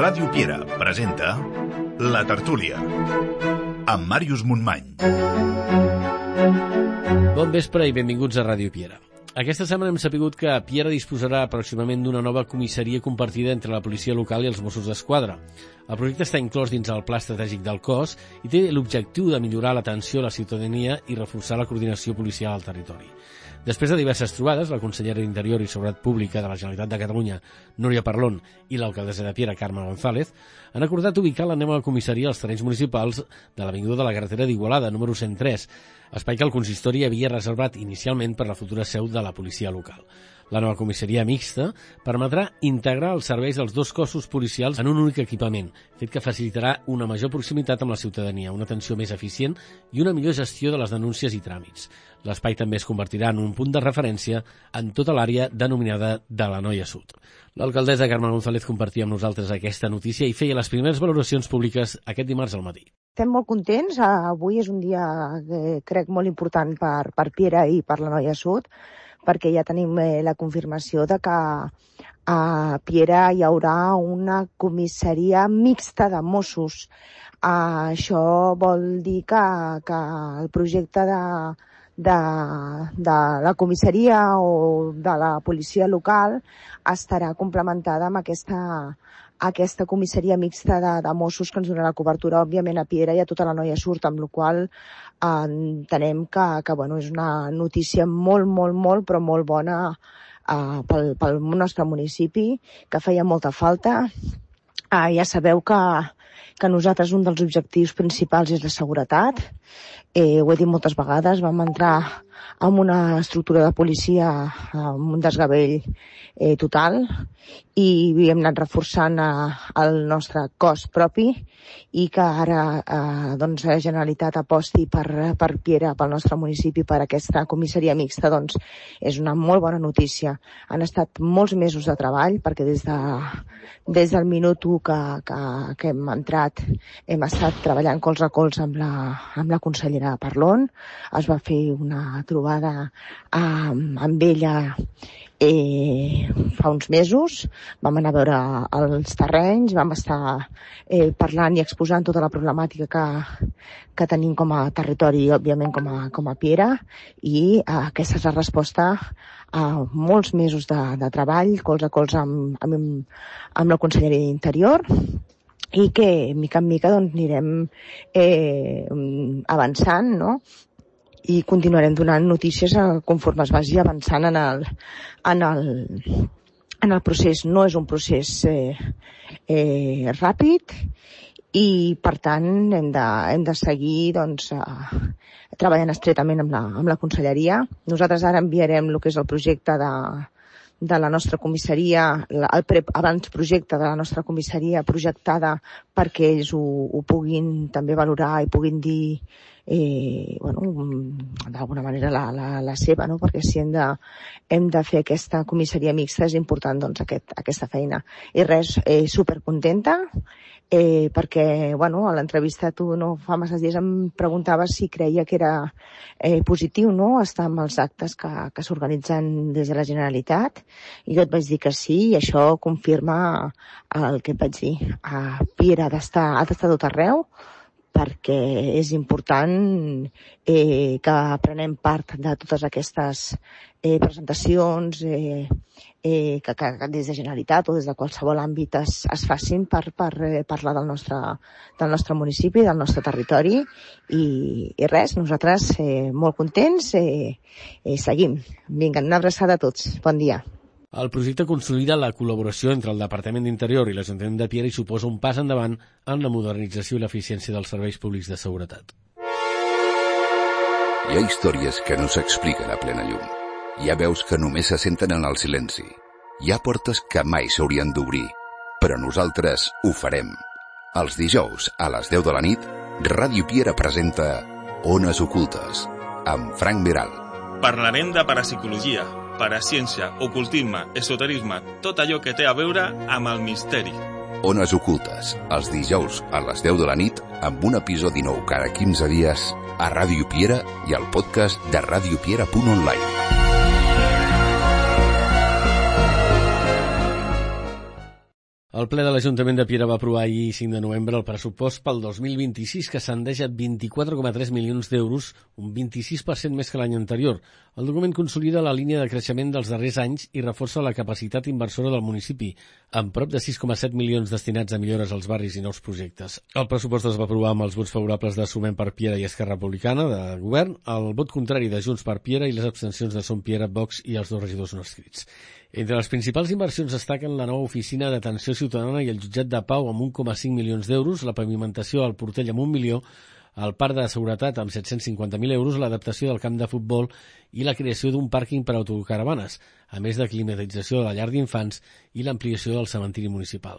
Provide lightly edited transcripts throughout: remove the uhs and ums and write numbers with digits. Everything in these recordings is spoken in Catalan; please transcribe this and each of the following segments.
Ràdio Piera presenta La Tertúlia amb Màrius Montmany. Bon vespre i benvinguts a Ràdio Piera. Aquesta setmana hem sapigut que Piera disposarà pròximament d'una nova comissaria compartida entre la policia local i els Mossos d'Esquadra. El projecte està inclòs dins el pla estratègic del cos i té l'objectiu de millorar l'atenció a la ciutadania i reforçar la coordinació policial al territori. Després de diverses trobades, la consellera d'Interior i Seguretat Pública de la Generalitat de Catalunya, Núria Parlon, i l'alcaldessa de Piera, Carme González, han acordat ubicar la nova comissaria als terrenys municipals de l'avinguda de la carretera d'Igualada, número 103, espai que el consistori havia reservat inicialment per la futura seu de la policia local. La nova comissaria mixta permetrà integrar els serveis dels dos cossos policials en un únic equipament, fet que facilitarà una major proximitat amb la ciutadania, una atenció més eficient i una millor gestió de les denúncies i tràmits. L'espai també es convertirà en un punt de referència en tota l'àrea denominada de la Noia Sud. L'alcaldessa Carme González compartia amb nosaltres aquesta notícia i feia les primeres valoracions públiques aquest dimarts al matí. Estem molt contents. Avui és un dia, crec, molt important per Piera i per la Noia Sud, perquè ja tenim la confirmació de que a Piera hi haurà una comissaria mixta de Mossos. Això vol dir que el projecte de la comissaria o de la policia local estarà complementada amb aquesta comissaria mixta de Mossos que ens donarà cobertura, òbviament, a Piera i a tota la Noia Sud, amb la qual entenem que bueno, és una notícia molt, però molt bona pel nostre municipi, que feia molta falta. Ja sabeu que nosaltres un dels objectius principals és la seguretat. Ho he dit moltes vegades, vam entrar amb una estructura de policia amb un desgavell total i hem anat reforçant el nostre cos propi i que ara doncs, la Generalitat aposti per Piera, pel nostre municipi, per aquesta comissaria mixta, doncs és una molt bona notícia. Han estat molts mesos de treball perquè des del minut 1 que hem entrat hem estat treballant colze a colze amb la consellera Parlon. Es va fer una trobada amb ella fa uns mesos, vam anar a veure els terrenys, vam estar parlant i exposant tota la problemàtica que tenim com a territori i, òbviament, com a Piera, i aquesta és la resposta a molts mesos de treball, colze a colze amb la conselleria d'Interior, i que, mica en mica, doncs, anirem avançant, no?, i continuarem donant notícies conforme es vagi avançant en el procés. No és un procés ràpid i, per tant, hem de seguir doncs, treballant estretament amb la conselleria. Nosaltres ara enviarem el que és el projecte de la nostra comissaria, abans-projecte de la nostra comissaria projectada perquè ells ho puguin també valorar i puguin dir d'alguna manera la seva, no? Perquè si hem de fer aquesta comissaria mixta és important doncs aquesta feina. I res, supercontenta perquè a l'entrevista tu fa massa dies em preguntaves si creia que era positiu, no?, estar amb els actes que s'organitzen des de la Generalitat, i jo et vaig dir que sí, i això confirma el que et vaig dir. Piera ha d'estar tot arreu, perquè és important que prenem part de totes aquestes presentacions que des de Generalitat o des de qualsevol àmbit es facin per parlar del nostre municipi, del nostre territori, i res, nosaltres molt contents, seguim. Vinga, una abraçada a tots. Bon dia. El projecte consolida la col·laboració entre el Departament d'Interior i l'Ajuntament de Piera i suposa un pas endavant en la modernització i l'eficiència dels serveis públics de seguretat. Hi ha històries que no s'expliquen a plena llum. Hi ha veus que només se senten en el silenci. Hi ha portes que mai s'haurien d'obrir, però nosaltres ho farem. Els dijous, a les 10 de la nit, Ràdio Piera presenta Ones Ocultes, amb Frank Veral. Parlarem de parapsicologia, paraciència, ocultisme, esoterisme, tot allò que té a veure amb el misteri. Ones Ocultes, els dijous a les 10 de la nit, amb un episodi nou cada 15 dies a Ràdio Piera i al podcast de radiopiera.online. El ple de l'Ajuntament de Piera va aprovar ahir 5 de novembre el pressupost pel 2026 que ascendeix a 24,3 milions d'euros, un 26% més que l'any anterior. El document consolida la línia de creixement dels darrers anys i reforça la capacitat inversora del municipi, amb prop de 6,7 milions destinats a millores als barris i nous projectes. El pressupost es va aprovar amb els vots favorables de Sumem per Piera i Esquerra Republicana de Govern, el vot contrari de Junts per Piera i les abstencions de Som Piera, Vox i els 2 regidors no escrits. Entre les principals inversions destaquen la nova oficina d'atenció ciutadana i el jutjat de Pau amb 1,5 milions d'euros, la pavimentació al Portell amb 1 milió, el parc de seguretat amb 750.000 euros, l'adaptació del camp de futbol i la creació d'un pàrquing per a autocaravanes, a més de climatització de la llar d'infants i l'ampliació del cementiri municipal.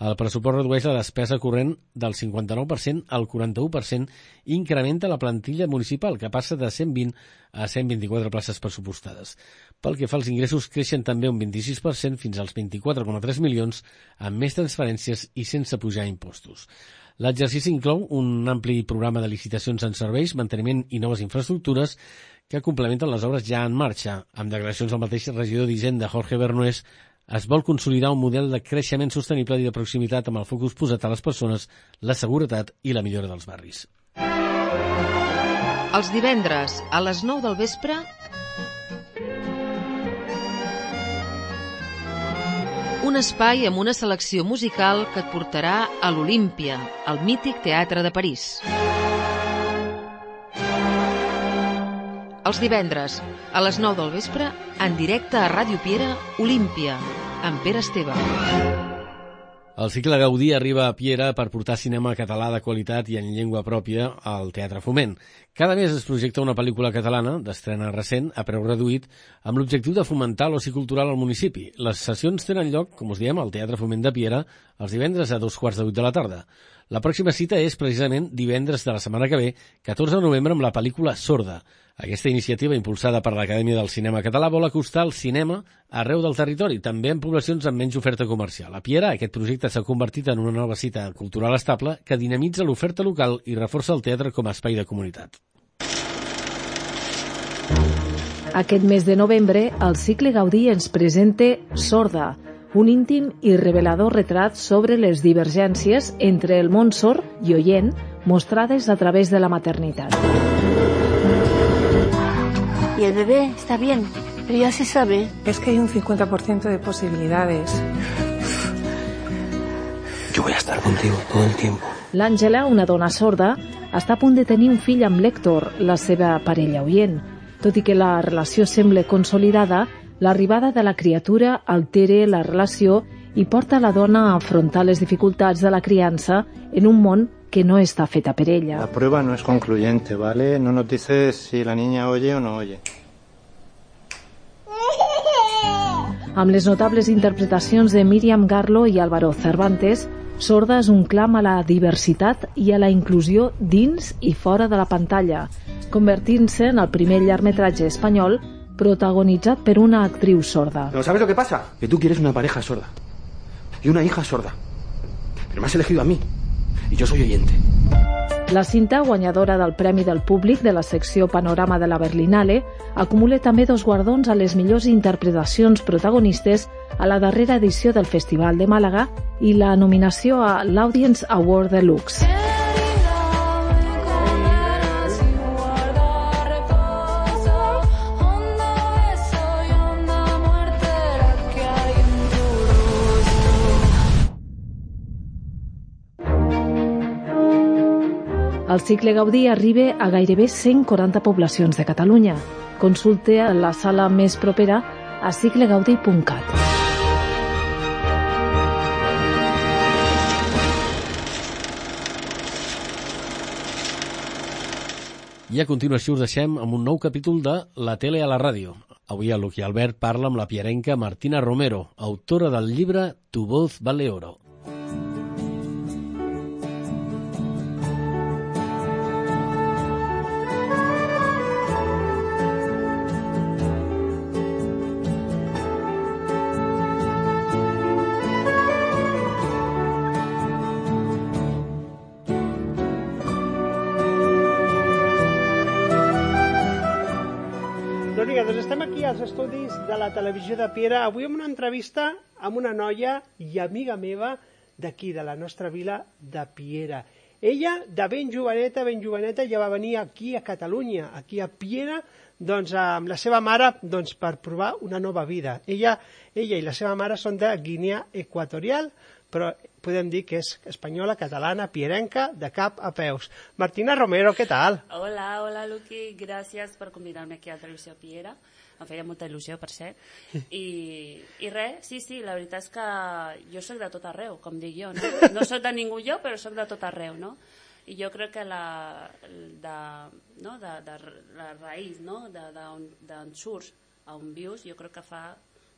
El pressupost redueix la despesa corrent del 59% al 41% i incrementa la plantilla municipal, que passa de 120 a 124 places pressupostades. Pel que fa als ingressos, creixen també un 26% fins als 24,3 milions, amb més transferències i sense pujar impostos. L'exercici inclou un ampli programa de licitacions en serveis, manteniment i noves infraestructures que complementen les obres ja en marxa. Amb declaracions del mateix regidor d'Hisenda, Jorge Bernués, es vol consolidar un model de creixement sostenible i de proximitat amb el focus posat a les persones, la seguretat i la millora dels barris. Els divendres, a les 9 del vespre, un espai amb una selecció musical que et portarà a l'Olímpia, al mític Teatre de París. Els divendres, a les 9 del vespre, en directe a Ràdio Piera, Olímpia, amb Pere Esteve. El cicle Gaudí arriba a Piera per portar cinema català de qualitat i en llengua pròpia al Teatre Foment. Cada mes es projecta una pel·lícula catalana, d'estrena recent, a preu reduït, amb l'objectiu de fomentar l'oci cultural al municipi. Les sessions tenen lloc, com us diem, al Teatre Foment de Piera, els divendres a 2:45 de la tarda. La pròxima cita és precisament divendres de la setmana que ve, 14 de novembre, amb la pel·lícula Sorda. Aquesta iniciativa, impulsada per l'Acadèmia del Cinema Català, vol acostar el cinema arreu del territori, també en poblacions amb menys oferta comercial. A Piera, aquest projecte s'ha convertit en una nova cita cultural estable que dinamitza l'oferta local i reforça el teatre com a espai de comunitat. Aquest mes de novembre, el cicle Gaudí ens presenta Sorda, un íntim i revelador retrat sobre les divergències entre el món sord i oient mostrades a través de la maternitat. Y el bebé está bien, pero ya se sabe. Es que hay un 50% de posibilidades. Yo voy a estar contigo todo el tiempo. L'Àngela, una dona sorda, està a punt de tenir un fill amb l'Héctor, la seva parella oient. Tot i que la relació sembla consolidada, l'arribada de la criatura altera la relació i porta la dona a afrontar les dificultats de la criança en un món que no está feta per ella. La prueba no es concluyente, ¿vale? No nos dice si la niña oye o no oye. Amb les notables interpretacions de Míriam Garlo i Álvaro Cervantes, Sorda és un clam a la diversitat i a la inclusió dins i fora de la pantalla, convertint-se en el primer llargmetratge espanyol protagonitzat per una actriu sorda. ¿No sabes lo que pasa? Que tú quieres una pareja sorda y una hija sorda. Pero me has elegido a mí. I jo soy oyente. La cinta, guanyadora del Premi del Públic de la secció Panorama de la Berlinale, acumula també 2 guardons a les millors interpretacions protagonistes a la darrera edició del Festival de Màlaga i la nominació a l'Audience Award Deluxe. El cicle Gaudí arriba a gairebé 140 poblacions de Catalunya. Consulta la sala més propera a ciclegaudí.cat. I a continuació us deixem amb un nou capítol de La tele a la ràdio. Avui el Luqui Albert parla amb la piarenca Martina Romero, autora del llibre Tu voz vale oro. Doncs estem aquí als estudis de la televisió de Piera, avui amb una entrevista amb una noia i amiga meva d'aquí, de la nostra vila de Piera. Ella, de ben joveneta, ja va venir aquí a Catalunya, aquí a Piera, doncs, amb la seva mare, doncs, per provar una nova vida. Ella i la seva mare són de Guinea Equatorial, però podem dir que és espanyola, catalana, pierenca, de cap a peus. Martina Romero, què tal? Hola, Luqui, gràcies per convidar-me aquí a Televisió Piera. Em feia molta il·lusió, per cert. I res, sí, la veritat és que jo soc de tot arreu, com dic jo, no? No soc de ningú jo, però soc de tot arreu, no? I jo crec que la raïs, no? D'on surts a on vius, jo crec que fa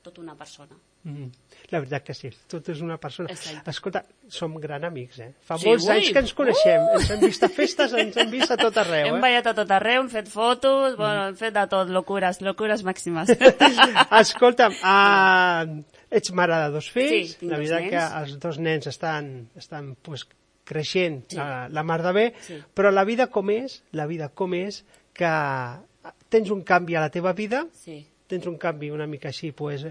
tota una persona. La veritat que sí, tot és una persona. Exacte. Escolta, som gran amics, Fa molts anys que ens coneixem, ens hem vist a festes, ens hem vist a tot arreu. Hem ballat a tot arreu, hem fet fotos, hem fet de tot, locures màximes. Escolta'm, ets mare de 2 fills, sí, la veritat que els 2 nens estan pues, creixent la mar de bé, però la vida com és que tens un canvi a la teva vida, tens un canvi una mica així pues,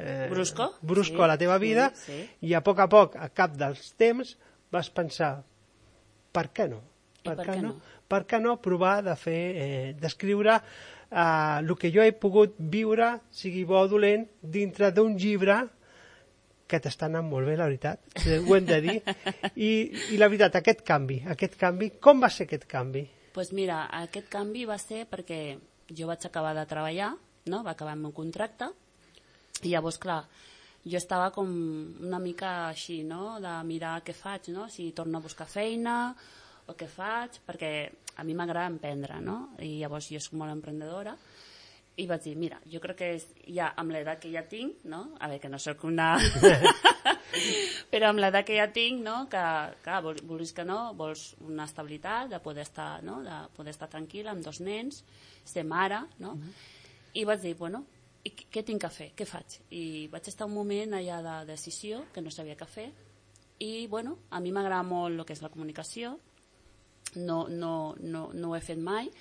brusco a la teva vida, i a poc, a cap dels temps vas pensar, per què no? Per què no provar de fer, d'escriure el que jo he pogut viure, sigui bo o dolent, dintre d'un llibre que t'està anant molt bé, la veritat, ho hem de dir. I la veritat, aquest canvi, com va ser aquest canvi? Doncs mira, aquest canvi va ser perquè jo vaig acabar de treballar, no? Va acabar el meu contracte, i llavors, clar, jo estava com una mica així, no? De mirar què faig, no? Si torno a buscar feina o què faig, perquè a mi m'agrada emprendre, no? I llavors jo soc molt emprendedora, i vaig dir, mira, jo crec que ja amb l'edat que ja tinc, no? A veure, que no soc una... però amb l'edat que ja tinc, no? Que, clar, vulguis que no, vols una estabilitat, de poder estar, no? De poder estar tranquil·la amb 2 nens, ser mare, no? I vaig dir, bueno, i què tinc que fer? Què faig? I vaig estar un moment allà de decisió, que no sabia què fer, i, bueno, a mi m'agrada molt el que és la comunicació, no ho he fet mai,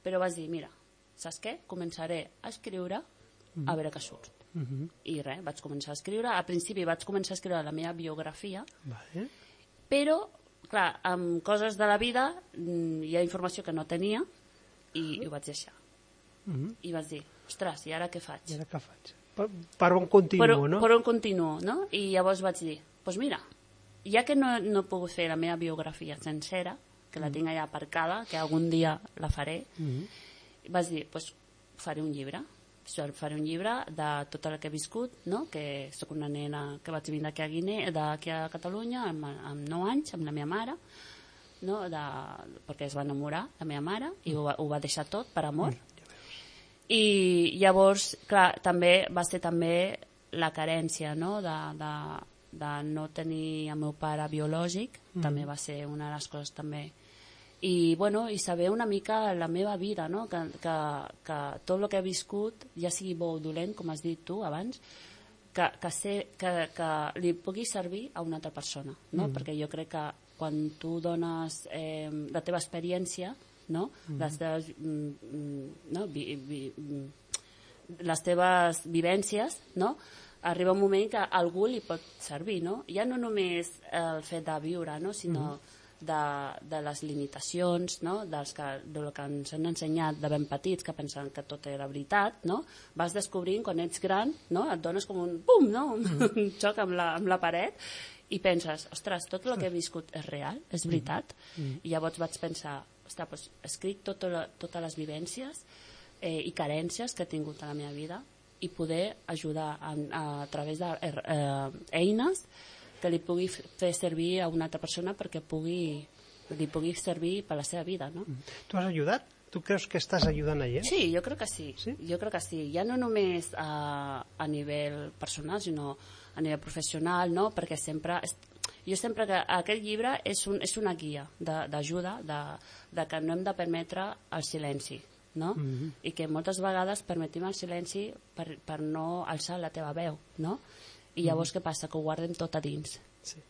però vaig dir, mira, saps què? Començaré a escriure a veure què surt. I res, vaig començar a escriure. Al principi vaig començar a escriure la meva biografia, però, clar, amb coses de la vida hi ha informació que no tenia i ho vaig deixar. I vaig dir, ostres, i ara què faig? I ara què faig? Per on continuo, no? Per on continuo, no? I llavors vaig dir, doncs mira, ja que no he pogut fer la meva biografia sencera, que la tinc allà aparcada, que algun dia la faré, vaig dir, doncs faré un llibre. Faré un llibre de tot el que he viscut, no? Que soc una nena que vaig vindre aquí a Catalunya amb 9 anys, amb la meva mare, no? Perquè es va enamorar la meva mare i ho va deixar tot per amor. I llavors, clar, també va ser també la carència, no? De no tenir el meu pare biològic, també va ser una de les coses també. I, bueno, i saber una mica la meva vida, no? Que tot el que he viscut, ja sigui bo o dolent, com has dit tu abans, que li pugui servir a una altra persona, no? Perquè jo crec que quan tu dones la teva experiència, no? Les teves vivències, no? Arriba un moment que a algú li pot servir, no? Ja no només el fet de viure, no? Sinó de les limitacions, no? Del que ens han ensenyat de ben petits, que pensen que tot era veritat, no? Vas descobrint quan ets gran, no? Et dones com un pum, no? Un xoc amb la paret i penses, ostres, tot el que he viscut és real, és veritat. I llavors vaig pensar, ostres, doncs escric totes les vivències i carències que he tingut a la meva vida i poder ajudar a través d'eines que li pugui fer servir a una altra persona perquè li pugui servir per la seva vida, no? Tu has ajudat? Tu creus que estàs ajudant a gent? Sí, jo crec que sí. Jo crec que sí. Ja no només a nivell personal, sinó a nivell professional, no? Perquè jo sempre que aquest llibre és una guia d'ajuda, de que no hem de permetre el silenci, no? I que moltes vegades permetim el silenci per no alçar la teva veu, no? I llavors què passa? Que ho guardem tot a dins.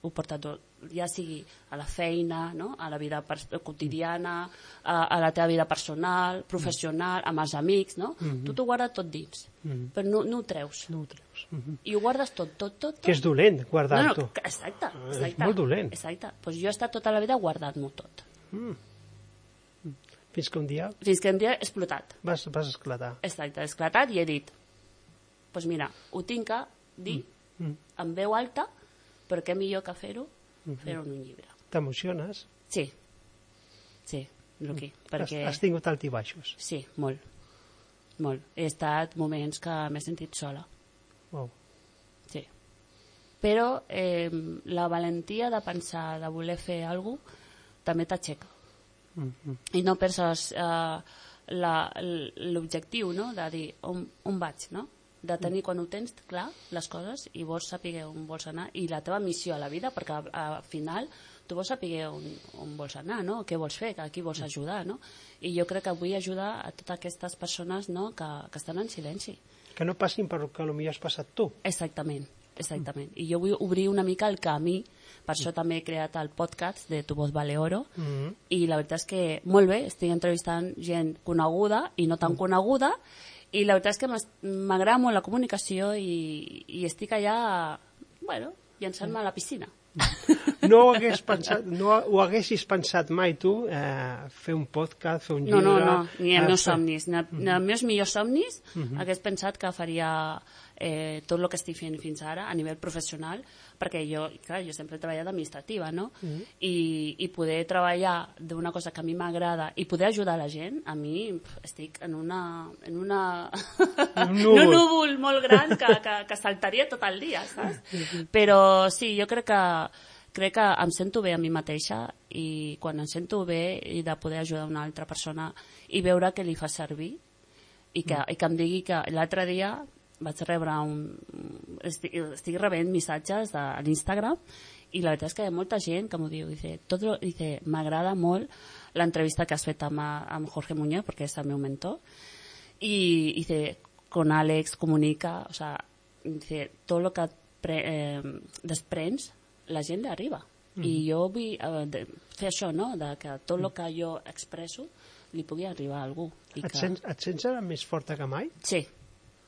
Ho porta tot, ja sigui a la feina, no? A la vida quotidiana, a la teva vida personal, professional, amb els amics, no? Tu t'ho guardes tot dins, però no ho treus. I ho guardes tot. Que és dolent, guardar-ho. Exacte. És molt dolent. Exacte. Doncs jo he estat tota la vida guardant-m'ho tot. Fins que un dia... Fins que un dia he explotat. Vas esclatar. Exacte, he esclatat i he dit, doncs mira, ho tinc que dir en veu alta, però què millor que fer-ho? Fer-ho en un llibre. T'emociones? Sí, Luqui. Has tingut alts i baixos? Sí, molt. He estat moments que m'he sentit sola. Wow. Sí. Però la valentia de pensar, de voler fer alguna cosa, també t'aixeca. I no penses l'objectiu, no? De dir on vaig, no? De tenir, quan ho tens clar, les coses, i vols saber on vols anar, i la teva missió a la vida, perquè al final tu vols saber on vols anar, no? Què vols fer, a qui vols ajudar, no? I jo crec que vull ajudar a totes aquestes persones, no? que estan en silenci. Que no passin per el que potser has passat tu. Exactament. I jo vull obrir una mica el camí, per això també he creat el podcast de Tu voz vale oro, i la veritat és que molt bé, estic entrevistant gent coneguda i no tan coneguda, i la veritat és que m'agrada molt la comunicació i estic allà, llançant-me a la piscina. No ho haguessis pensat mai tu, fer un podcast, fer un llibre... No, ni els meus somnis. Ni els meus millors somnis hagués pensat que faria tot el que estic fent fins ara a nivell professional, perquè jo sempre he treballat administrativa, no? I poder treballar d'una cosa que a mi m'agrada i poder ajudar la gent, a mi estic en un núvol molt gran que saltaria tot el dia, saps? Però sí, jo crec que em sento bé a mi mateixa, i quan em sento bé i de poder ajudar una altra persona i veure que li fa servir i que em digui que l'altre dia vaig rebre estic rebent missatges a l'Instagram, i la veritat és que hi ha molta gent que m'ho diu, dice, m'agrada molt l'entrevista que has fet amb Jorge Muñoz, perquè és el meu mentor, i dice, con Àlex comunica, o sea, dice, tot el que desprens la gent li arriba, i jo vull fer això, no? Que tot el que jo expresso li pugui arribar a algú. Et sents ara més forta que mai? Sí.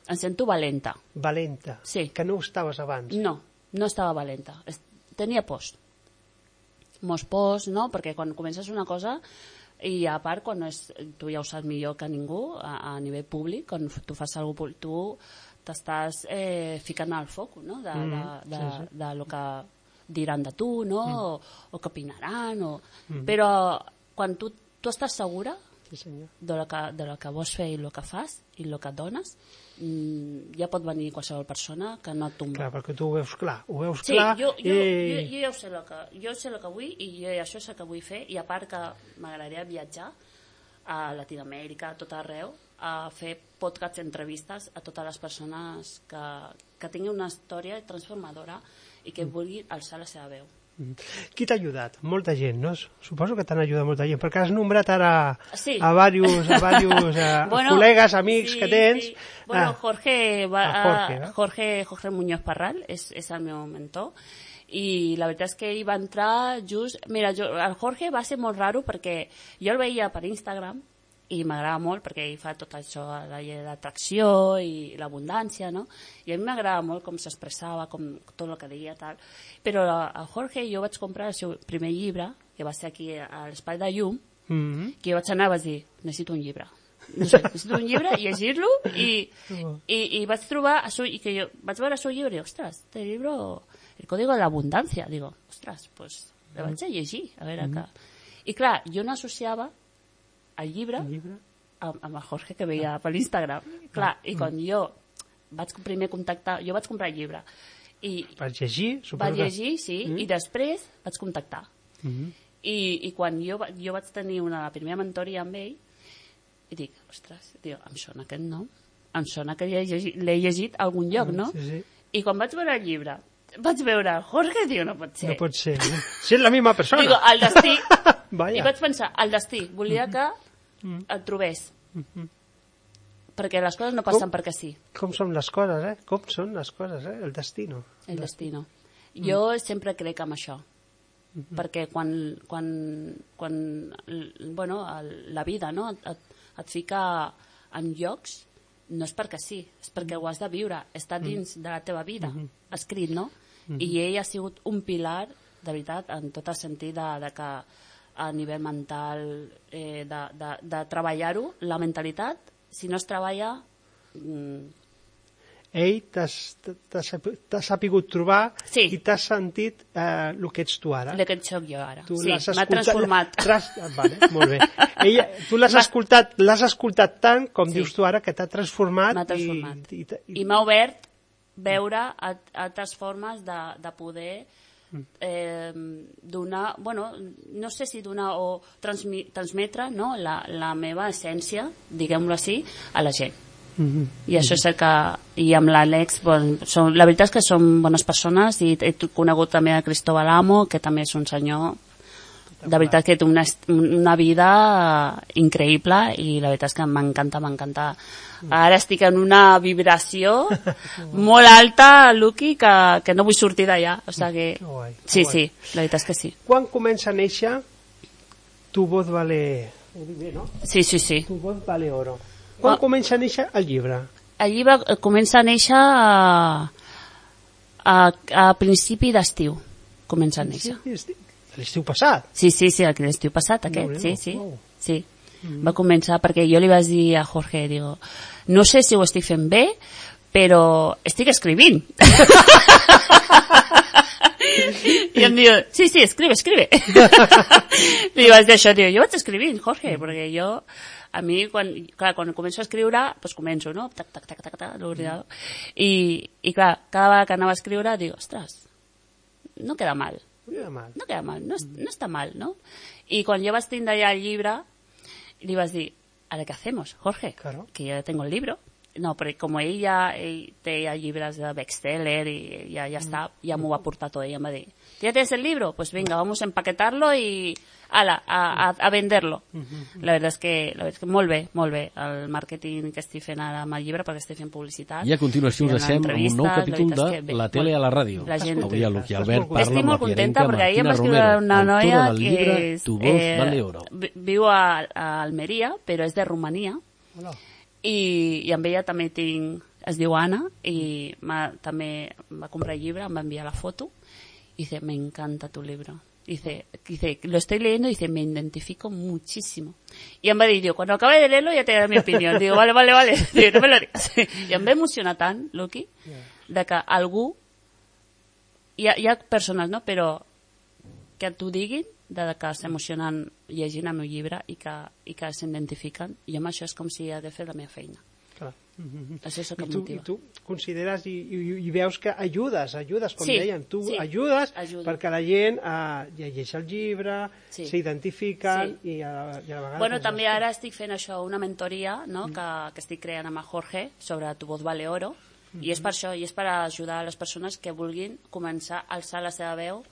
Em sento valenta. Valenta? Sí. Que no ho estaves abans? No estava valenta. Tenia pors. Molts pors, no? Perquè quan comences una cosa, i a part, tu ja ho saps millor que ningú, a nivell públic, quan tu fas alguna cosa públic, tu t'estàs ficant al foc, no? De lo que diran de tu, no? O que opinaran. Però quan tu estàs segura de lo que vols fer i el que fas i el que dones, ja pot venir qualsevol persona que no et tomba. Clar, perquè tu ho veus clar. Sí, jo ja sé el que vull, i això és el que vull fer, i a part que m'agradaria viatjar a Latinoamèrica, a tot arreu, a fer podcasts, entrevistes a totes les persones que tinguin una història transformadora i que vulguin alçar la seva veu. Qui t'ha ajudat? Molta gent, no? Suposo que t'han ajudat molta gent, perquè has nombrat ara a diversos col·legues, amics que tens. Sí. Bueno, Jorge Muñoz Parral és el meu mentor, i la veritat és que ell va entrar just... Mira, el Jorge va ser molt raro perquè jo el veia per Instagram i m'agrada molt perquè ell fa tot això, la llei d'atracció i l'abundància, no? I a mi m'agrada molt com s'expressava, com tot el que deia, tal. Però a Jorge jo vaig comprar el seu primer llibre, que va ser aquí a l'Espai de Llum, que jo vaig anar i vaig dir, necessito un llibre. Necessito un llibre, llegir-lo, i vaig trobar, i que jo vaig veure el seu llibre i, ostres, este libro, el código de l'abundància, digo, ostres, pues el vaig a llegir, a veure què. I clar, jo no associava el llibre amb el Jorge que veia per l'Instagram. Clar, i quan jo vaig primer contactar, jo vaig comprar el llibre. Vaig llegir? Vaig llegir, sí, i després vaig contactar. I quan jo vaig tenir una primera mentoria amb ell, i dic, ostres, em sona aquest nom, em sona que l'he llegit a algun lloc, no? I quan vaig veure el llibre, vaig veure el Jorge, diu, no pot ser. No pot ser, no? Si és la misma persona. Digo, el destí. I vaig pensar, el destí, volia que el trobés. Perquè les coses no passen perquè sí. Com són les coses, Com són les coses, El destino. El destino. Jo sempre crec en això. Perquè quan bueno, la vida, no? Et fica en llocs, no és perquè sí, és perquè ho has de viure, està dins de la teva vida, escrit, no? I ell ha sigut un pilar, de veritat, en tot el sentit de que a nivell mental, de treballar-ho, la mentalitat, si no es treballa... Ell t'ha sapigut trobar i t'has sentit el que ets tu ara. El que soc jo ara. Sí, m'ha transformat. Vale, molt bé. Tu l'has escoltat tant, com dius tu ara, que t'ha transformat. M'ha transformat. I m'ha obert veure altres formes de poder donar, bueno, no sé si donar o transmetre, no, la meva essència, diguem-ho així, a la gent. I això és el que... I amb l'Àlex, la veritat és que som bones persones, i he conegut també a Cristóbal Amo, que també és un senyor, de veritat que té una vida increïble, i la veritat és que m'encanta. Ara estic en una vibració molt alta, Luqui, que no vull sortir d'allà. O sigui que... Sí, la veritat és que sí. Quan comença a néixer Tu voz vale... Sí. Tu voz vale oro. Quan comença a néixer el llibre? El llibre comença a néixer a principi d'estiu. Comença a néixer. L'estiu passat? Sí, l'estiu passat, aquest, sí. Va començar perquè jo li vaig dir a Jorge, digo, no sé si ho estic fent bé, però estic escrivint. I em diu, sí, escribe. Li vaig dir això, diu, jo vaig escrivint, Jorge, perquè jo... A mi, quan començo a escriure, doncs començo, no? Tac, l'ordinador. I clar, cada vegada que anava a escriure, dic, ostres, no queda mal. No està mal, no? I quan jo vaig tindre ja el llibre, li vaig dir, ¿ahora qué hacemos, Jorge? Claro. Que yo ya tengo el libro. No, perquè com ell té ja llibres de bestseller i ja està, ja m'ho va portar tot. Ell em va dir, ¿ya tienes el libro? Pues venga, vamos a empaquetarlo y a venderlo. La veritat és que molt bé el màrqueting que estic fent ara amb el llibre, perquè estic fent publicitat. I a continuació us deixem amb un nou capítol de La tele a la ràdio. Avui el Luqui Albert parla amb la pierenca Martina Romero, autora del llibre Tu voz vale oro. Viu a Almeria, però és de Romania. I amb ella també es diu Anna, i també va comprar el llibre, em va enviar la foto y dice, me encanta tu libro. Dice, lo estoy leyendo y dice, me identifico muchísimo. Y em va dir, cuando acabe de leerlo ya te daré mi opinión. Digo, vale. Digo, no me lo digas. I em va emocionar tant, Luqui, de que algú, hi ha persones, no?, però que t'ho diguin, de que s'emocionen llegint el meu llibre i que s'identifiquen, i amb això és com si hagués fet la meva feina. Clar. Això és el que em motiva. I tu consideres i veus que ajudes, com deien, tu ajudes perquè la gent llegeix el llibre, s'identifiquen i a la vegada... Bueno, també ara estic fent això, una mentoria, no?, que estic creant amb el Jorge sobre Tu voz vale oro, i és per això, i és per ajudar a les persones que vulguin començar a alçar la seva veu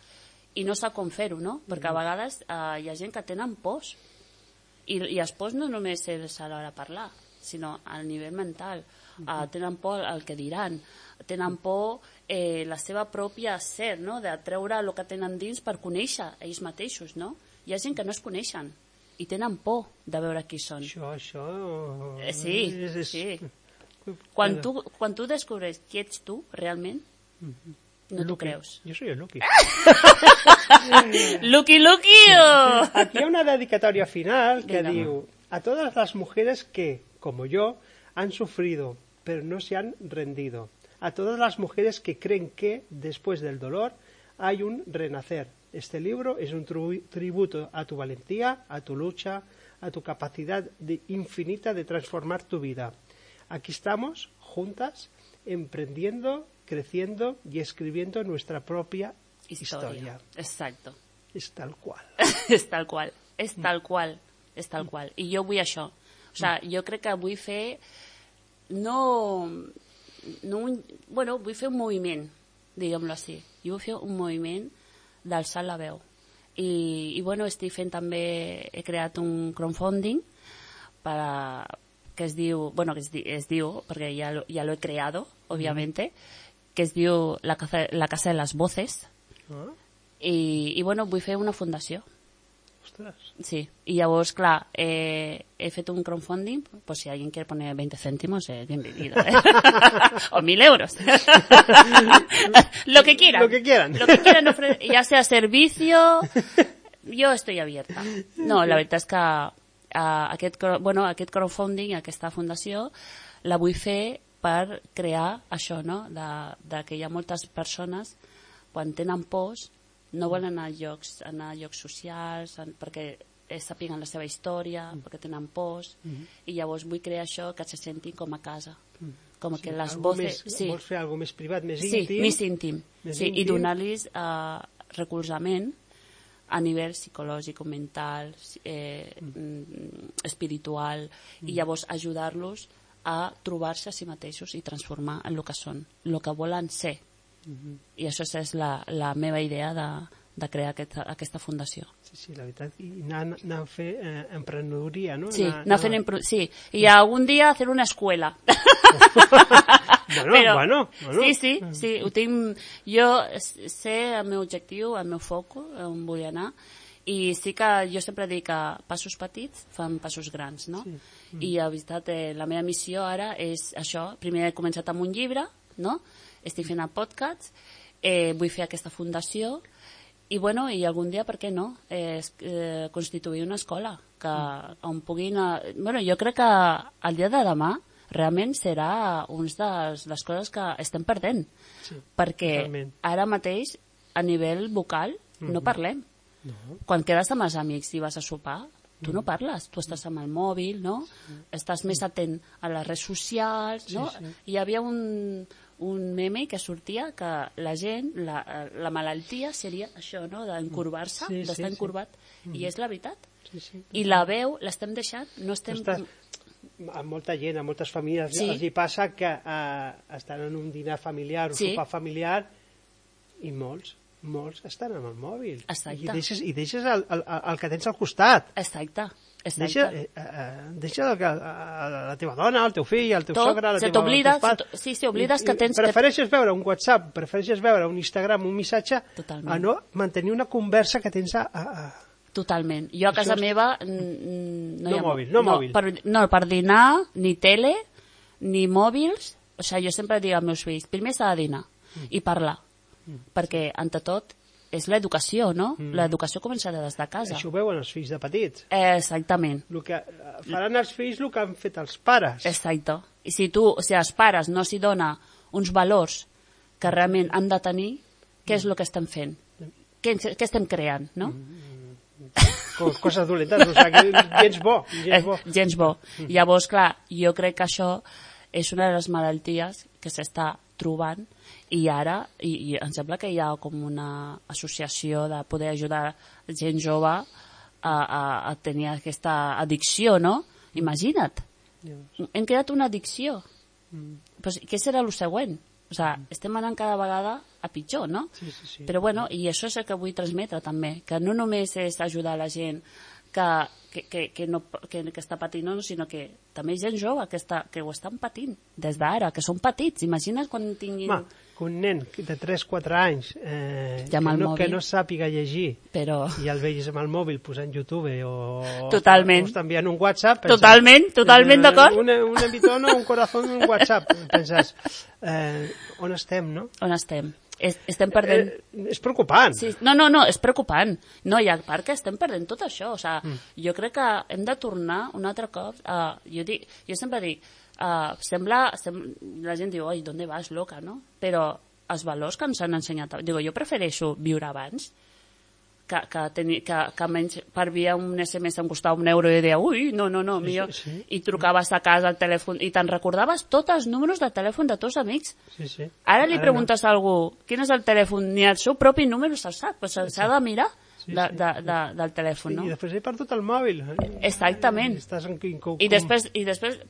i no sap com fer-ho, no? Perquè a vegades hi ha gent que tenen pors, i els pors no només és a l'hora de parlar, sinó a nivell mental. Tenen por el que diran, tenen por la seva pròpia ser, no?, de treure el que tenen dins per conèixer ells mateixos, no? Hi ha gent que no es coneixen i tenen por de veure qui són. Això... Sí. Quan tu descobreix qui ets tu, realment, no t'ho creus. Jo soy el Luqui. Luqui! Aquí hi ha una dedicatoria final que diu: a todas las mujeres que, como yo, han sufrido, pero no se han rendido. A todas las mujeres que creen que, después del dolor, hay un renacer. Este libro es un tributo a tu valentía, a tu lucha, a tu capacidad infinita de transformar tu vida. Aquí estamos, juntas, emprendiendo, creciendo y escribiendo nuestra propia historia. Exacto. És tal qual. És tal qual. I jo vull això. O sigui, jo crec que vull fer... vull fer un moviment, diguem-lo així. Jo vull fer un moviment d'alçar la veu. I estic fent també... He creat un crowdfunding que es diu, bueno, es diu, perquè ja lo he creado, obviamente, que es diu La Casa de las Voces, i bueno, vull fer una fundació. Ostres. Sí, y llavors, clar, he fet un crowdfunding, pues si alguien quiere poner 20 céntimos, bienvenido, o 1.000 euros. Lo que quieran. Lo que quieran, ya sea servicio, yo estoy abierta. No, la veritat és que aquest crowdfunding, aquesta fundació, la vull fer per crear això, no? De que hi ha moltes persones, quan tenen pors, no volen anar a llocs socials perquè sàpiguen la seva història, perquè tenen pors, i llavors vull crear això, que se sentin com a casa. Com que les voces... Vols fer alguna més privat, més íntim? Sí, més íntim. I donar-los recolzament a nivell psicològic, mental, espiritual, i llavors ajudar-los a trobar-se a si mateixos i transformar en el que són, el que volen ser. I això és la meva idea de crear aquesta fundació. Sí, la veritat. I anar a fer emprenedoria, no? Sí, sí. I algun dia fer una escuela. Bueno. Sí, ho tinc... Jo sé el meu objectiu, el meu foc, on vull anar, i sí que jo sempre dic que passos petits fan passos grans, no? I la veritat, la meva missió ara és això. Primer he començat amb un llibre, no? Estic fent el podcast, vull fer aquesta fundació i algun dia, per què no, constituir una escola on puguin... Jo crec que el dia de demà realment serà una de les coses que estem perdent, perquè ara mateix a nivell vocal no parlem. Quan quedes amb els amics i vas a sopar, tu no parles, tu estàs amb el mòbil, no? Estàs més atent a les redes socials, no? Hi havia un meme que sortia que la gent, la malaltia seria això, no? D'encurvar-se, d'estar encurvat, i és la veritat. I la veu l'estem deixant, no estem... A molta gent, a moltes famílies els hi passa que estan en un dinar familiar, un sopar familiar, i molts estan amb el mòbil. Exacte. I deixes el que tens al costat. Exacte. Deixa la teva dona, el teu fill, el teu sogre, la teva mare. Sí, oblides que tens... Prefereixes veure un WhatsApp, prefereixes veure un Instagram, un missatge, a no mantenir una conversa que tens a... Totalment. Jo a casa meva... No mòbil. Per dinar, ni tele, ni mòbils. O sigui, jo sempre dic als meus fills, primer s'ha de dinar i parlar. Perquè, ante tot, és l'educació, no? L'educació comença des de casa. Això ho veuen els fills de petits. Exactament. Faran els fills el que han fet els pares. Exacte. I si els pares no s'hi dona uns valors que realment han de tenir, què és el que estem fent? Què estem creant, no? Coses dolentes, o sigui, gens bo. Gens bo. Llavors, clar, jo crec que això és una de les malalties que s'està trobant i ara em sembla que hi ha com una associació de poder ajudar gent jove a tenir aquesta addicció, no? Imagina't, hem creat una addicció. Pues, què serà el següent? O sigui, estem anant cada vegada a pitjor, no? Sí. Però bueno, i això és el que vull transmetre també, que no només és ajudar la gent que està patint, no, sinó que també gent jove que ho estan patint des d'ara, que són petits. Imagina't quan tinguin... Un nen de 3-4 anys que no sàpiga llegir i el veus amb el mòbil posant YouTube o t'enviant un WhatsApp, totalment d'acord, un bitono, un corazón, un WhatsApp, penses on estem, no? On estem? Estem perdent... És preocupant. Sí. No, és preocupant. No, i a part que estem perdent tot això. O sigui, jo crec que hem de tornar un altre cop... Jo sempre dic, la gent diu, oi, ¿dónde vas, loca, no? Però els valors que ens han ensenyat... Jo prefereixo viure abans que menys per via un SMS em costava €1 i deia, ui, no, millor. I trucaves a casa al telèfon i te'n recordaves tots els números de telèfon de tots amics. Ara li preguntes a algú quin és el telèfon, ni el seu propi número se'l sap, però s'ha de mirar del telèfon, no? I després he perdut el mòbil. Exactament. I després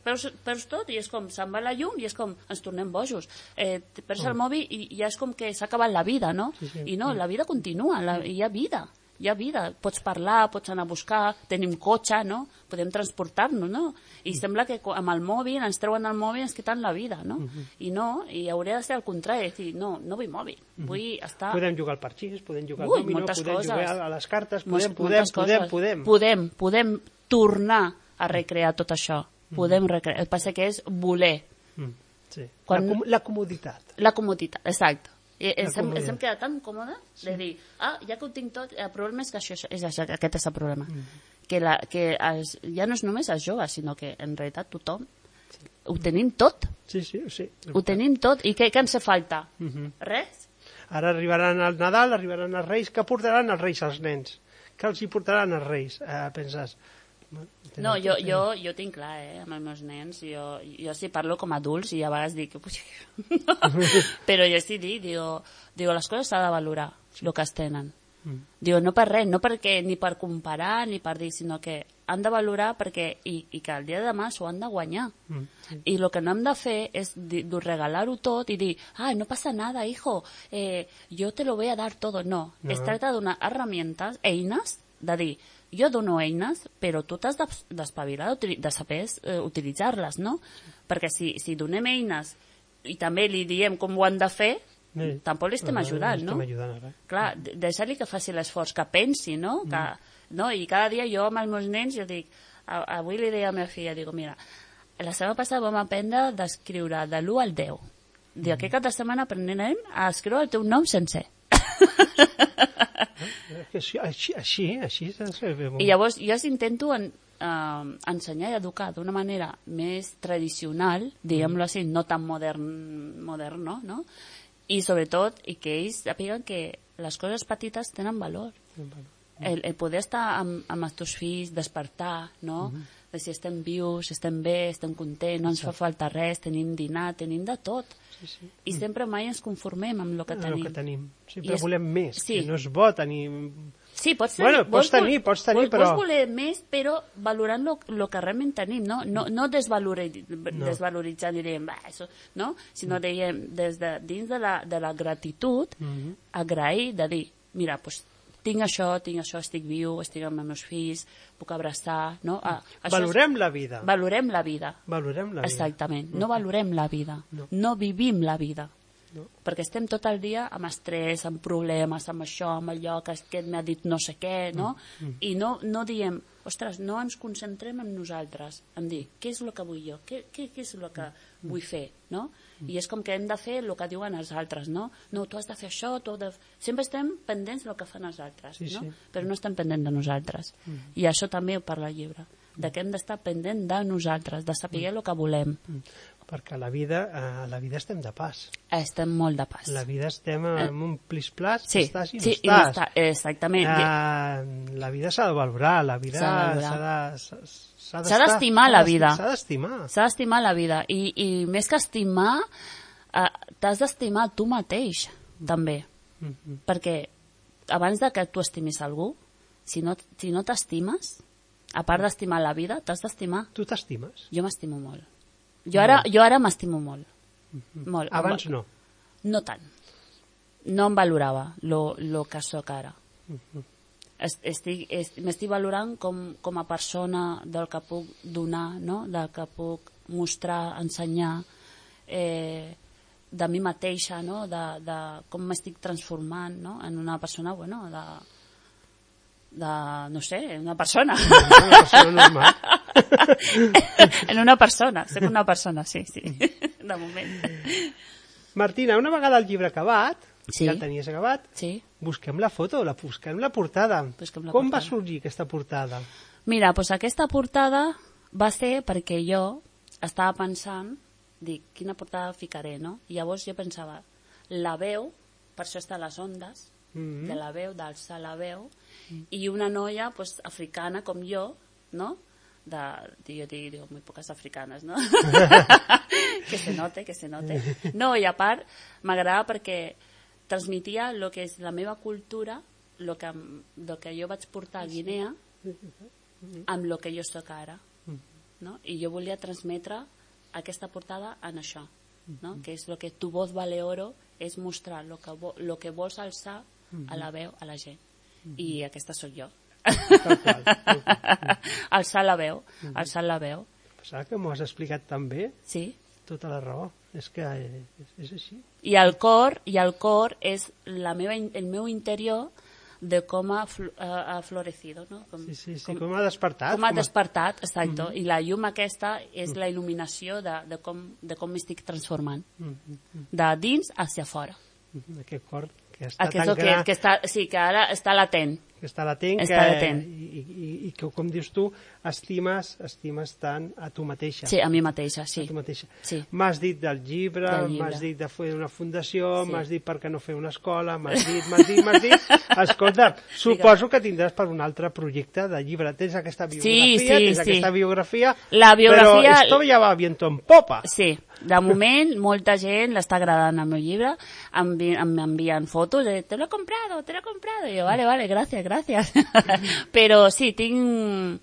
perds tot i és com, se'n va la llum i és com, ens tornem bojos. Perds el mòbil i ja és com que s'ha acabat la vida, no? I no, la vida continua, hi ha vida. hi ha vida, pots parlar, pots anar a buscar, tenim cotxe, no? Podem transportar-nos, no? I sembla que amb el mòbil, ens treuen el mòbil i ens quiten la vida, no? I no, i hauria de ser al contrari, dir, no vull mòbil, vull estar... Podem jugar al parxís, podem jugar al domino, podem jugar a les cartes, podem tornar a recrear tot això, podem recrear, el que passa que és voler. La comoditat. La comoditat, exacte. Ens hem quedat tan còmodes de dir, ja que ho tinc tot, el problema és que aquest és el problema, que ja no és només els joves, sinó que en realitat tothom ho tenim tot, ho tenim tot, i què ens fa? Res? Ara arribaran al Nadal, arribaran els Reis, què portaran els Reis als nens? Què els hi portaran els Reis? Penses... No, jo tinc clar, amb els meus nens, jo sí parlo com a adults i a vegades dic, però jo sí dic, les coses s'ha de valorar, el que es tenen. Diu, no per res, no perquè ni per comparar ni per dir, sinó que han de valorar perquè, i que el dia de demà s'ho han de guanyar. I el que no hem de fer és regalar-ho tot i dir, no passa nada, hijo, yo te lo voy a dar todo. No, es tracta de donar herramientas, eines, de dir, jo dono eines, però tu t'has d'espavilar, de saber utilitzar-les, no? Perquè si donem eines i també li diem com ho han de fer, tampoc li estem ajudant, no? Clar, deixar-li que faci l'esforç, que pensi, no? I cada dia jo amb els meus nens, jo dic, avui li deia a la meva filla, dic, mira, la setmana passada vam aprendre d'escriure de l'1 al 10. Dic, aquest cap de setmana aprenent a escriure el teu nom sencer. Així i llavors jo intento ensenyar i educar d'una manera més tradicional, diguem-lo així, no tan modern, no? I sobretot que ells sàpiguen que les coses petites tenen valor, el poder estar amb els teus fills, despertar, no? De si estem vius, estem bé, estem contents, no ens fa falta res, tenim dinar, tenim de tot. I sempre mai ens conformem amb el que tenim. Sempre volem més, que no és bo tenir... Sí, pots tenir, però... Vols voler més, però valorant el que realment tenim, no desvaloritzant i dient, no? Sinó dient, des de dins de la gratitud, agrair, de dir, mira, doncs tinc això, estic viu, estic amb els meus fills, puc abraçar, no? Valorem la vida. Valorem la vida. Exactament. No valorem la vida. No vivim la vida. Perquè estem tot el dia amb estrès, amb problemes, amb això, amb allò, que aquest m'ha dit no sé què, no? I no diem, ostres, no ens concentrem en nosaltres, en dir, què és el que vull jo? Què és el que vull fer, no? I és com que hem de fer el que diuen els altres, no? No, tu has de fer això, sempre estem pendents del que fan els altres, no? Però no estem pendents de nosaltres. I això també ho parla el llibre, de que hem d'estar pendent de nosaltres, de saber el que volem. Perquè a la vida estem de pas. Estem molt de pas. La vida estem en un plis-plas, estàs i no estàs. No està, exactament. La vida s'ha de valorar, la vida s'ha d'estimar la vida. S'ha d'estimar. S'ha d'estimar la vida. I més que estimar, t'has d'estimar tu mateix, també. Perquè abans de que tu estimis algú, si no t'estimes, a part d'estimar la vida, t'has d'estimar. Tu t'estimes? Jo m'estimo molt. Jo ara m'estimo molt. Abans no? No tant. No em valorava el que sóc ara. M'estic valorant com a persona del que puc donar, no? Del que puc mostrar, ensenyar, de mi mateixa, no? De com m'estic transformant, no? En una persona, bueno, no sé, una persona. Una persona normal. En una persona, soc una persona, sí, de moment. Martina, una vegada el llibre acabat, ja el tenies acabat, busquem la foto, busquem la portada. Com va sorgir aquesta portada? Mira, doncs aquesta portada va ser perquè jo estava pensant, dic, quina portada ficaré, no? I llavors jo pensava, la veu, per això està a les ondes, de la veu, d'alçar la veu, i una noia africana com jo, no? Jo digo muy pocas africanes, ¿no? que se note. No, i a part m'agrada perquè transmetia el que és la meva cultura, el que jo vaig portar a Guinea, amb el que jo soc ara, no? I jo volia transmetre aquesta portada en això, no? Que és el que tu voz vale oro, és mostrar el que vols alçar a la veu a la gent. I aquesta sóc jo. Tal qual. Alçar la veu, alçar la veu. Saps que m'ho has explicat tan bé? Sí. Tota la raó. És que és així. I el cor és el meu interior de com ha florecido, no? Com ha despertat. Com ha despertat, exacte. I la llum aquesta és la il·luminació de com m'estic transformant. De dins hacia fora. Aquest cor que està tan gran... Que ara està latent. Que està latent. I que, com dius tu, estimes tant a tu mateixa. Sí, a mi mateixa, sí. A tu mateixa. Sí. M'has dit del llibre, m'has dit de fer una fundació, m'has dit per què no fer una escola, m'has dit. Escolta, suposo que tindràs per un altre projecte de llibre. Tens aquesta biografia, però esto ja va viento en popa. Sí, de moment molta gent l'està agradant el meu llibre, m'envien fotos de te lo he comprado, i jo, vale, gracias. Però sí, tinc...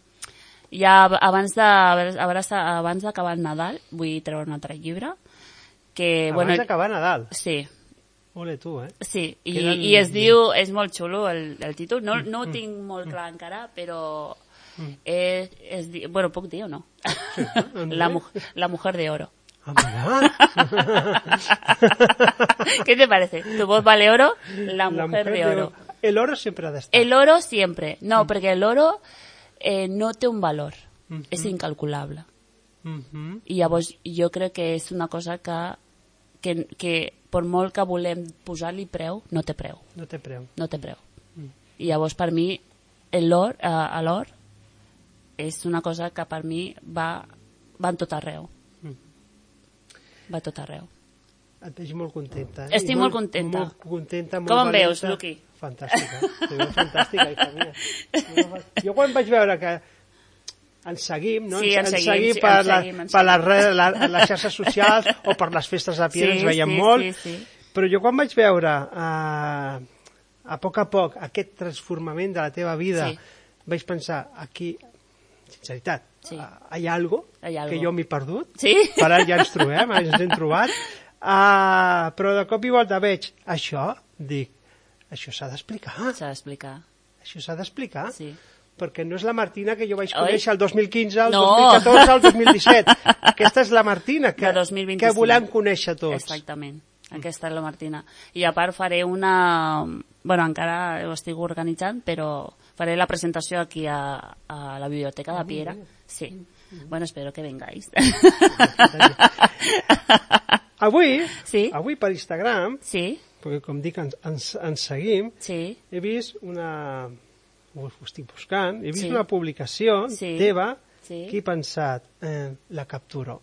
Ja abans d'acabar el Nadal vull treure un altre llibre. Abans d'acabar Nadal? Sí. Ole tu, Sí, i es diu... És molt xulo el títol. No ho tinc molt clar encara, però... Bueno, puc dir o no? La mujer de oro. ¿Qué te parece? ¿Tu voz vale oro? La mujer de oro. El oro sempre ha d'estar. El oro siempre. No, perquè el oro no té un valor. És incalculable. I llavors jo crec que és una cosa que per molt que volem posar-li preu, no té preu. No té preu. I llavors per mi l'or és una cosa que per mi va en tot arreu. Va a tot arreu. Et veig molt contenta. Estic molt contenta. Molt contenta, molt com em valenta. veus, Luqui? Fantàstica. Te veu fantàstica, hija mia. Jo quan vaig veure que ens seguim, no? Sí, ens seguim per les xarxes socials o per les festes de Piera, ens veiem molt. Però jo quan vaig veure a poc aquest transformament de la teva vida, vaig pensar, aquí, sinceritat, hi ha algo que jo m'he perdut, per ara ja ens trobem, ens hem trobat, però de cop i volta veig això, dic, això s'ha d'explicar. Això s'ha d'explicar, perquè no és la Martina que jo vaig conèixer el 2015, el 2014, el 2017. Aquesta és la Martina que volem conèixer tots. Exactament, aquesta és la Martina. I a part faré una... Bueno, encara ho estic organitzant, però faré la presentació aquí a la biblioteca de Piera. Sí. Bueno, espero que vengáis. Avui per Instagram, perquè com dic ens seguim, he vist una... ho estic buscant, he vist una publicació teva que he pensat, la capturo.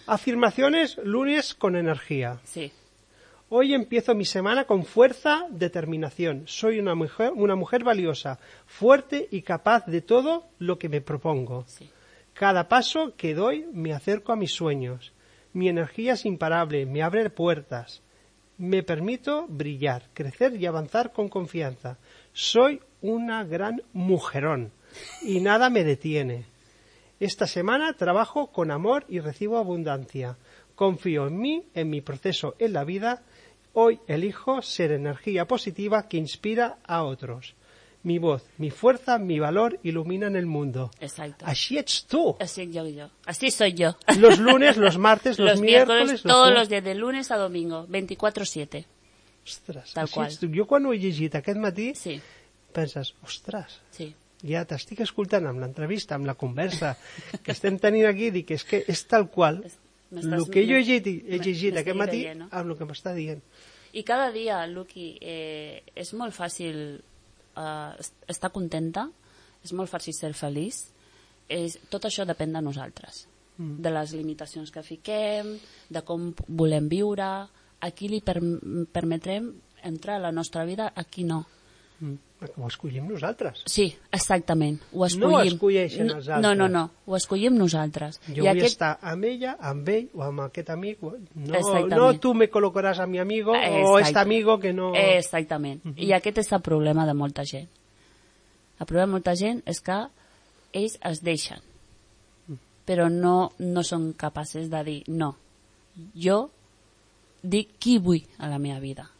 Afirmaciones lunes con energía. Hoy empiezo mi semana con fuerza, determinación. Soy una mujer valiosa, fuerte y capaz de todo lo que me propongo. Cada paso que doy me acerco a mis sueños. Mi energía es imparable, me abre puertas. Me permito brillar, crecer y avanzar con confianza. Soy una gran mujerón y nada me detiene. Esta semana trabajo con amor y recibo abundancia. Confío en mí, en mi proceso en la vida. Hoy elijo ser energía positiva que inspira a otros. Mi voz, mi fuerza, mi valor iluminan el mundo. Exacto. Así ets tú. Así soy yo. Los lunes, los martes, los miércoles... Todos los días, de lunes a domingo, 24/7. Ostres, tal qual. Jo quan ho he llegit aquest matí, penses, ostres, ja t'estic escoltant amb l'entrevista, amb la conversa que estem tenint aquí, dic, és que és tal qual el que jo he llegit aquest matí amb el que m'està dient. I cada dia, Luqui, és molt fàcil estar contenta, és molt fàcil ser feliç, tot això depèn de nosaltres, de les limitacions que fiquem, de com volem viure, a qui li permetrem entrar a la nostra vida, a qui no. Ho escollim nosaltres. Sí, exactament. No ho escolleixen els altres. No, ho escollim nosaltres. Jo vull estar amb ella, amb ell o amb aquest amic. No tu me col·locaràs a mi amigo o este amigo que no... Exactament. I aquest és el problema de molta gent. El problema de molta gent és que ells es deixen, però no són capaços de dir no. Jo dic qui vull a la meva vida.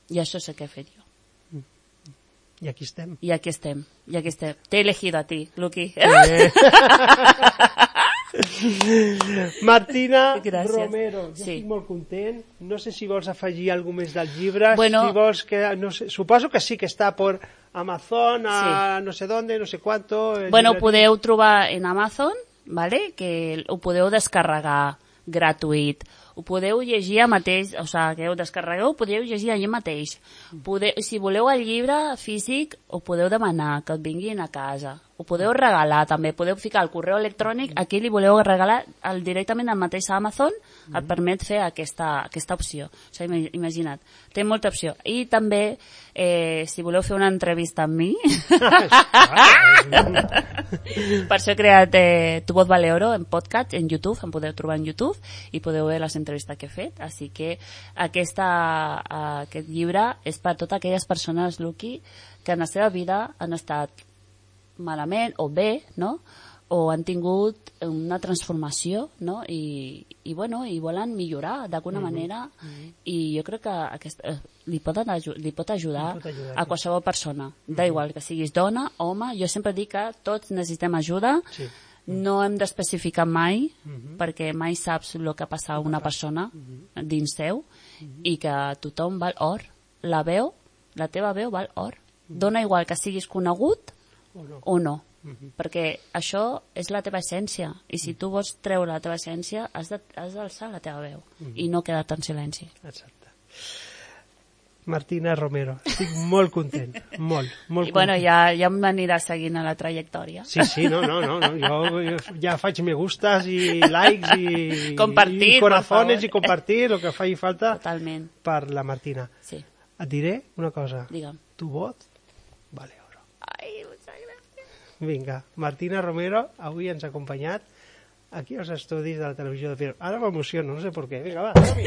I això és el que he fet jo. I aquí estem. I aquí estem. T'he elegido a ti, Luqui. Martina Gràcies. Romero, jo estic molt content. No sé si vols afegir alguna més del llibre. Bueno, si vols que, no sé, suposo que sí que està per Amazon, a no sé dónde, no sé cuánto. Bueno, ho podeu trobar en Amazon, ¿vale? Que ho podeu descarregar gratuït. Ho podeu llegir mateix, o sigui, que ho descarregueu, ho podeu llegir allà mateix. Si voleu el llibre físic, ho podeu demanar, que et vinguin a casa. Ho podeu regalar també, podeu ficar el correu electrònic, aquí li voleu regalar directament al mateix Amazon, et permet fer aquesta opció. O sigui, imagina't, té molta opció. I també, si voleu fer una entrevista amb mi, per això he creat Tu Voz Vale Oro en podcast, en YouTube, em podeu trobar en YouTube, i podeu veure les entrevistes que he fet. Així que aquest llibre és per totes aquelles persones, Luqui, que en la seva vida han estat malament o bé, no? O han tingut una transformació, no? I volen millorar d'alguna manera, i jo crec que li pot ajudar a qualsevol persona, d'igual que siguis dona, home. Jo sempre dic que tots necessitem ajuda, no hem d'especificar mai, perquè mai saps el que passa a una persona dins seu, i que tothom val or. La teva veu val or. Dona igual que siguis conegut o no, perquè això és la teva essència, i si tu vols treure la teva essència has d'alçar la teva veu i no quedar-te en silenci. Exacte. Martina Romero, estic molt content, molt I bueno, ja m'anirà seguint a la trajectòria. Sí, no, jo ja faig me gustas i likes i compartir, i corazones i compartir el que faci falta. Totalment. Per la Martina. Sí. Et diré una cosa. Digue'm. Tu voz vale oro. Ai, muchas gracias. Vinga, Martina Romero avui ens ha acompanyat aquí als estudis de la televisió de Piera. Ara m'emociono, no sé per què. Vinga, va, som-hi.